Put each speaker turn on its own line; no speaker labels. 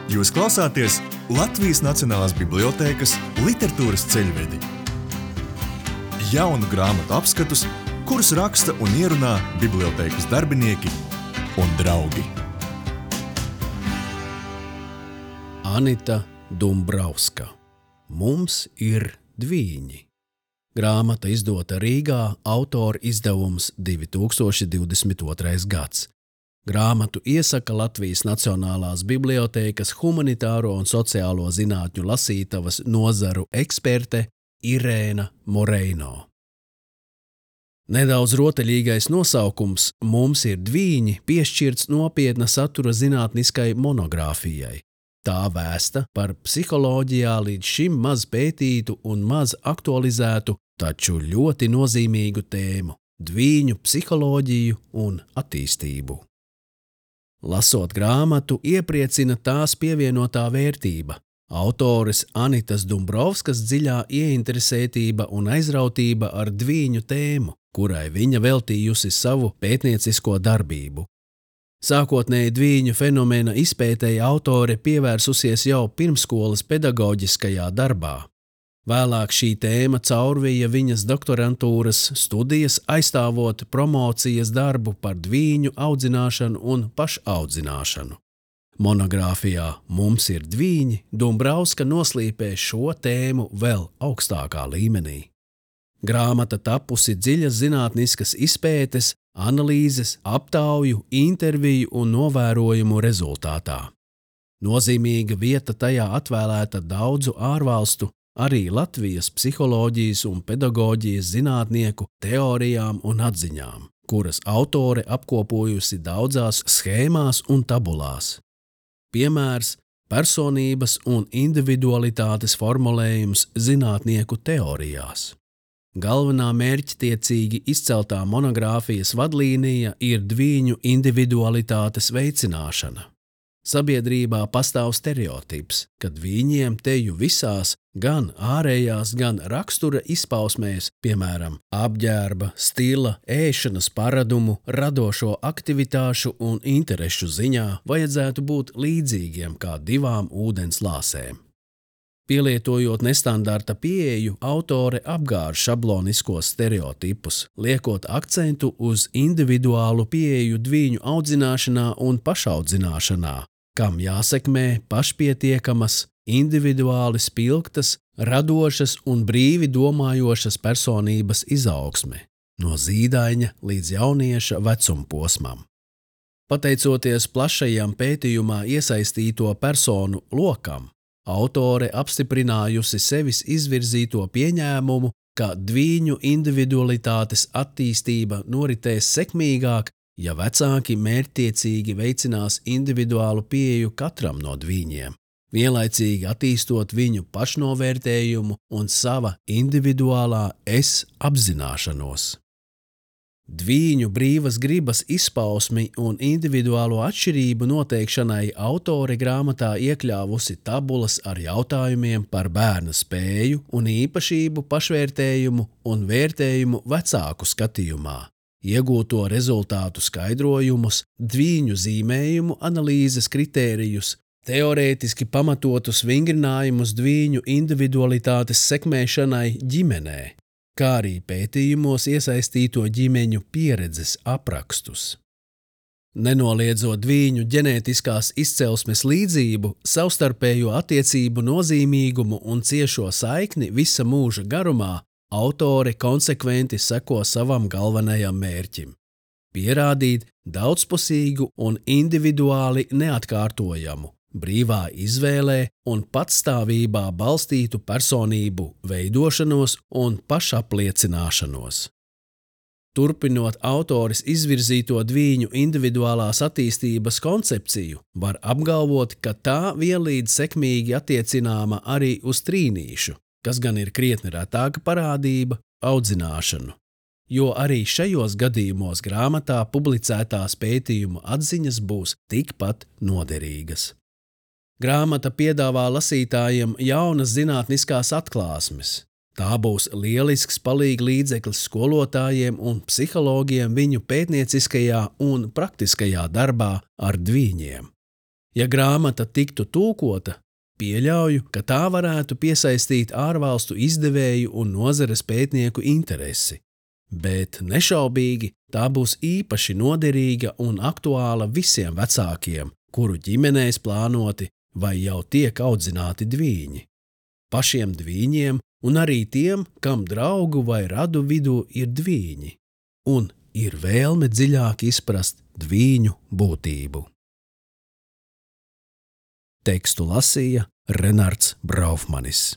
Jūs klausāties Latvijas Nacionālās bibliotēkas literatūras ceļvedi. Jaunu grāmatu apskatus, kurus raksta un ierunā bibliotēkas darbinieki un draugi.
Anita Dumbrauska. Mums ir dvīņi. Grāmata izdota Rīgā, autora izdevums 2022. gads. Grāmatu iesaka Latvijas Nacionālās bibliotēkas humanitāro un sociālo zinātņu lasītavas nozaru eksperte Irēna Moreino. Nedaudz rotaļīgais nosaukums Mums ir dvīņi piešķirts nopietna satura zinātniskai monogrāfijai. Tā vēsta par psiholoģijā līdz šim maz pētītu un maz aktualizētu, taču ļoti nozīmīgu tēmu – dvīņu psiholoģiju un attīstību. Lasot grāmatu, iepriecina tās pievienotā vērtība, autores Anitas Dumbrauskas dziļā ieinteresētība un aizrautība ar dvīņu tēmu, kurai viņa veltījusi savu pētniecisko darbību. Sākotnēji dvīņu fenomena izpētēji autore pievērsusies jau pirmskolas pedagoģiskajā darbā. Vēlāk šī tēma caurvija viņas doktorantūras studijas, aizstāvot promocijas darbu par dvīņu audzināšanu un pašaudzināšanu. Monogrāfijā Mums ir dvīņi Dumbrauska noslīpē šo tēmu vēl augstākā līmenī. Grāmata tapusi dziļas zinātniskas izpētes, analīzes, aptauju, interviju un novērojumu rezultātā. Nozīmīga vieta tajā atvēlēta daudzu ārvalstu, arī Latvijas psiholoģijas un pedagoģijas zinātnieku teorijām un atziņām, kuras autore apkopojusi daudzās schēmās un tabulās. Piemērs – personības un individualitātes formulējums zinātnieku teorijās. Galvenā mērķtiecīgi izceltā monogrāfijas vadlīnija ir dvīņu individualitātes veicināšana. Sabiedrībā pastāv stereotips, ka dvīņiem teju visās, gan ārējās, gan rakstura izpausmēs, piemēram, apģērba, stila, ēšanas paradumu, radošo aktivitāšu un interešu ziņā vajadzētu būt līdzīgiem kā divām ūdens lāsēm. Pielietojot nestandarta pieeju, autore apgāž šabloniskos stereotipus, liekot akcentu uz individuālu pieeju dvīņu audzināšanā un pašaudzināšanā, kam jāsekmē pašpietiekamas, individuāli spilgtas, radošas un brīvi domājošas personības izaugsme, no zīdaiņa līdz jaunieša vecumposmam. Pateicoties plašajam pētījumā iesaistīto personu lokam, autore apstiprinājusi sevis izvirzīto pieņēmumu, ka dvīņu individualitātes attīstība noritēs sekmīgāk, ja vecāki mērķtiecīgi veicinās individuālu pieeju katram no dvīņiem, vienlaicīgi attīstot viņu pašnovērtējumu un sava individuālā es apzināšanos. Dvīņu brīvas gribas izpausmi un individuālo atšķirību noteikšanai autore grāmatā iekļāvusi tabulas ar jautājumiem par bērna spēju un īpašību pašvērtējumu un vērtējumu vecāku skatījumā, iegūto rezultātu skaidrojumus, dvīņu zīmējumu analīzes kritērijus, teorētiski pamatotus vingrinājumus dvīņu individualitātes sekmēšanai ģimenē, kā arī pētījumos iesaistīto ģimeņu pieredzes aprakstus. Nenoliedzot dvīņu ģenētiskās izcelsmes līdzību, savstarpējo attiecību nozīmīgumu un ciešo saikni visa mūža garumā, autore konsekventi seko savam galvenajam mērķim – pierādīt daudzpusīgu un individuāli neatkārtojamu, brīvā izvēlē un patstāvībā balstītu personību veidošanos un pašapliecināšanos. Turpinot autores izvirzīto dvīņu individuālās attīstības koncepciju, var apgalvot, ka tā vienlīdz sekmīgi attiecināma arī uz trīnīšu, kas gan ir krietni retāka parādība, audzināšanu, jo arī šajos gadījumos grāmatā publicētās pētījumu atziņas būs tikpat noderīgas. Grāmata piedāvā lasītājiem jaunas zinātniskās atklāsmes. Tā būs lielisks palīglīdzeklis skolotājiem un psihologiem viņu pētnieciskajā un praktiskajā darbā ar dvīņiem. Ja grāmata tiktu tulkota, pieļauju, ka tā varētu piesaistīt ārvalstu izdevēju un nozares pētnieku interesi, bet nešaubīgi tā būs īpaši noderīga un aktuāla visiem vecākiem, kuru ģimenēs plānoti vai jau tiek audzināti dvīņi. Pašiem dvīņiem un arī tiem, kam draugu vai radu vidū ir dvīņi, un ir vēlme dziļāk izprast dvīņu būtību. Tekstu lasīja Renards Braufmanis.